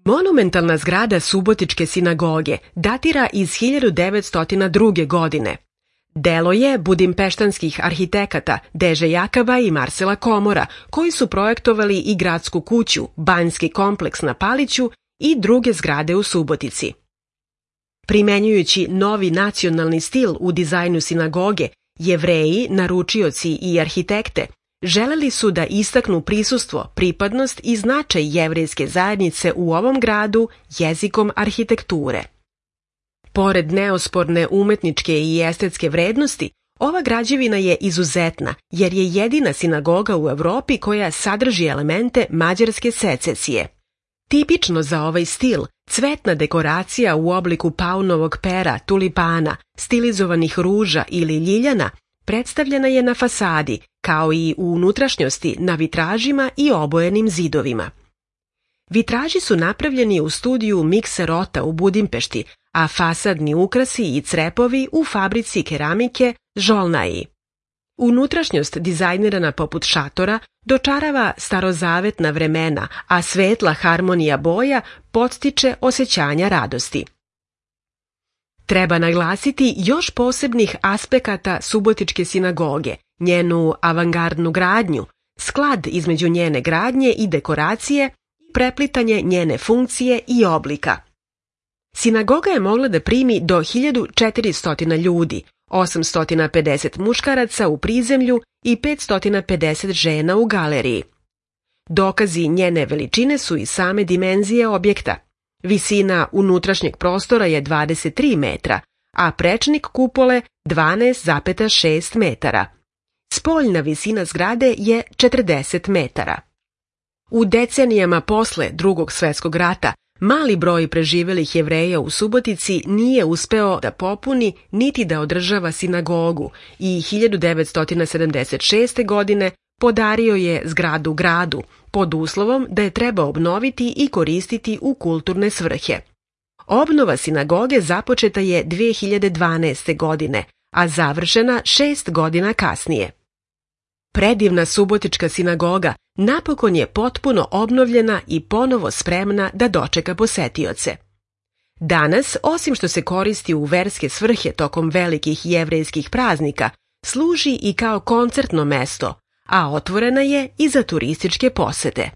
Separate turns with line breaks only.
Monumentalna zgrada Subotičke sinagoge datira iz 1902. godine. Delo je budimpeštanskih arhitekata Deže Jakaba i Marsela Komora, koji su projektovali i gradsku kuću, banjski kompleks na Paliću i druge zgrade u Subotici. Primenjujući novi nacionalni stil u dizajnu sinagoge, Jevreji, naručioci i arhitekte želeli su da istaknu prisustvo, pripadnost i značaj jevrejske zajednice u ovom gradu jezikom arhitekture. Pored neosporne umetničke i estetske vrednosti, ova građevina je izuzetna jer je jedina sinagoga u Evropi koja sadrži elemente mađarske secesije. Tipično za ovaj stil, cvetna dekoracija u obliku paunovog pera, tulipana, stilizovanih ruža ili ljiljana predstavljena je na fasadi, kao i u unutrašnjosti na vitražima i obojenim zidovima. Vitraži su napravljeni u studiju Mikserota u Budimpešti, a fasadni ukrasi i crepovi u fabrici keramike Žolnaji. Unutrašnjost, dizajnirana poput šatora, dočarava starozavetna vremena, a svetla harmonija boja podstiče osjećanja radosti. Treba naglasiti još posebnih aspekata Subotičke sinagoge, njenu avangardnu gradnju, sklad između njene gradnje i dekoracije, preplitanje njene funkcije i oblika. Sinagoga je mogla da primi do 1400 ljudi, 850 muškaraca u prizemlju i 550 žena u galeriji. Dokazi njene veličine su i same dimenzije objekta. Visina unutrašnjeg prostora je 23 metra, a prečnik kupole 12,6 metara. Spoljna visina zgrade je 40 metara. U decenijama posle Drugog svjetskog rata mali broj preživelih Jevreja u Subotici nije uspeo da popuni niti da održava sinagogu i 1976. godine podario je zgradu gradu, pod uslovom da je treba obnoviti i koristiti u kulturne svrhe. Obnova sinagoge započeta je 2012. godine, a završena 6 godina kasnije. Predivna Subotička sinagoga napokon je potpuno obnovljena i ponovo spremna da dočeka posetioce. Danas, osim što se koristi u verske svrhe tokom velikih jevrejskih praznika, služi i kao koncertno mesto, a otvorena je i za turističke posete.